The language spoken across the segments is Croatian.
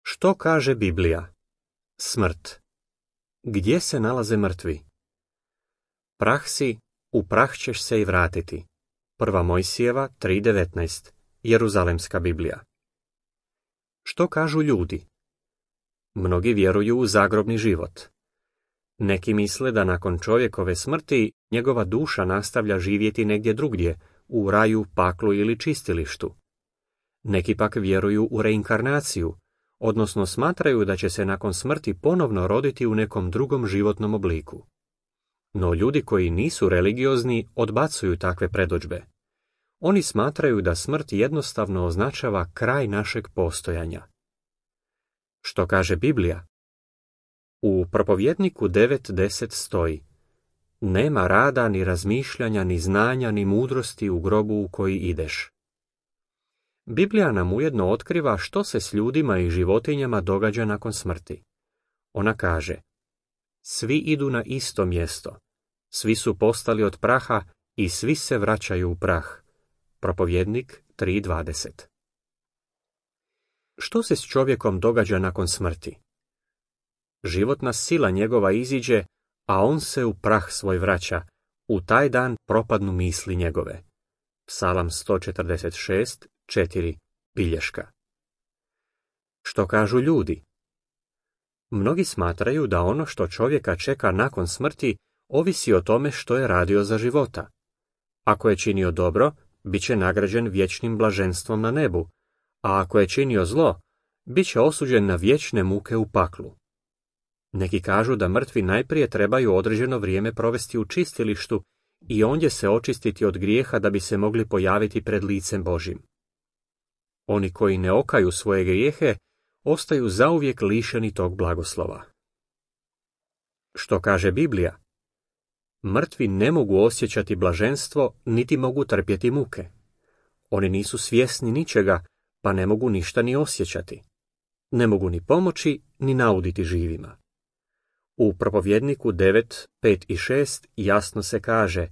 Što kaže Biblija? Smrt. Gdje se nalaze mrtvi? Prah si, u prah ćeš se i vratiti. 1. Mojsijeva 3.19. Jeruzalemska Biblija. Što kažu ljudi? Mnogi vjeruju u zagrobni život. Neki misle da nakon čovjekove smrti njegova duša nastavlja živjeti negdje drugdje, u raju, paklu ili čistilištu. Neki pak vjeruju u reinkarnaciju, odnosno smatraju da će se nakon smrti ponovno roditi u nekom drugom životnom obliku. No ljudi koji nisu religiozni odbacuju takve predodžbe. Oni smatraju da smrt jednostavno označava kraj našeg postojanja. Što kaže Biblija? U Propovjedniku 9.10 stoji: Nema rada, ni razmišljanja, ni znanja, ni mudrosti u grobu u koji ideš. Biblija nam ujedno otkriva što se s ljudima i životinjama događa nakon smrti. Ona kaže: Svi idu na isto mjesto, svi su postali od praha i svi se vraćaju u prah. Propovjednik 3.20. Što se s čovjekom događa nakon smrti? Životna sila njegova iziđe, a on se u prah svoj vraća. U taj dan propadnu misli njegove. Psalam 146.4. bilješka. Što kažu ljudi? Mnogi smatraju da ono što čovjeka čeka nakon smrti ovisi o tome što je radio za života. Ako je činio dobro, bit će nagrađen vječnim blaženstvom na nebu, a ako je činio zlo, bit će osuđen na vječne muke u paklu. Neki kažu da mrtvi najprije trebaju određeno vrijeme provesti u čistilištu i ondje se očistiti od grijeha da bi se mogli pojaviti pred licem Božjim. Oni koji ne okaju svoje grijehe ostaju zauvijek lišeni tog blagoslova. Što kaže Biblija? Mrtvi ne mogu osjećati blaženstvo, niti mogu trpjeti muke. Oni nisu svjesni ničega, pa ne mogu ništa ni osjećati. Ne mogu ni pomoći, ni nauditi živima. U Propovjedniku 9.5 i 6 jasno se kaže: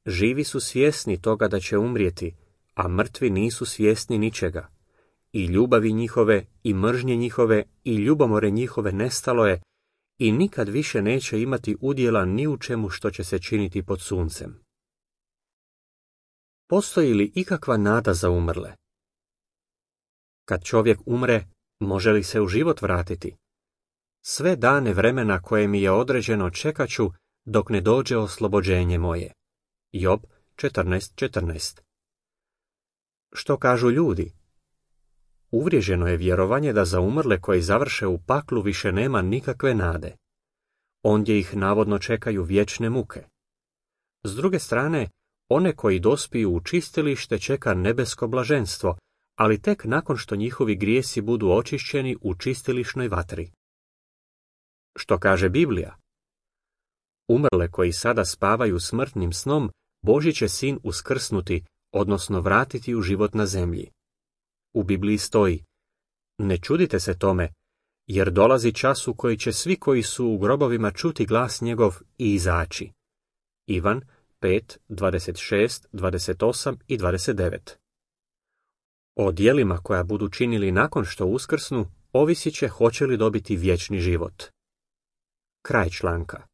Živi su svjesni toga da će umrijeti, a mrtvi nisu svjesni ničega. I ljubavi njihove, i mržnje njihove, i ljubomore njihove nestalo je, i nikad više neće imati udjela ni u čemu što će se činiti pod suncem. Postoji li ikakva nada za umrle? Kad čovjek umre, može li se u život vratiti? Sve dane vremena koje mi je određeno čekat ću dok ne dođe oslobođenje moje. Job 14.14. Što kažu ljudi? Uvriježeno je vjerovanje da za umrle koji završe u paklu više nema nikakve nade. Ondje ih navodno čekaju vječne muke. S druge strane, one koji dospiju u čistilište čeka nebesko blaženstvo, ali tek nakon što njihovi grijesi budu očišćeni u čistilišnoj vatri. Što kaže Biblija? Umrle koji sada spavaju smrtnim snom, Božji će sin uskrsnuti, odnosno vratiti u život na zemlji. U Bibliji stoji: Ne čudite se tome, jer dolazi čas u koji će svi koji su u grobovima čuti glas njegov i izaći. Ivan 5.26, 28 i 29. O djelima koja budu činili nakon što uskrsnu, ovisit će hoće li dobiti vječni život. Kraj članka.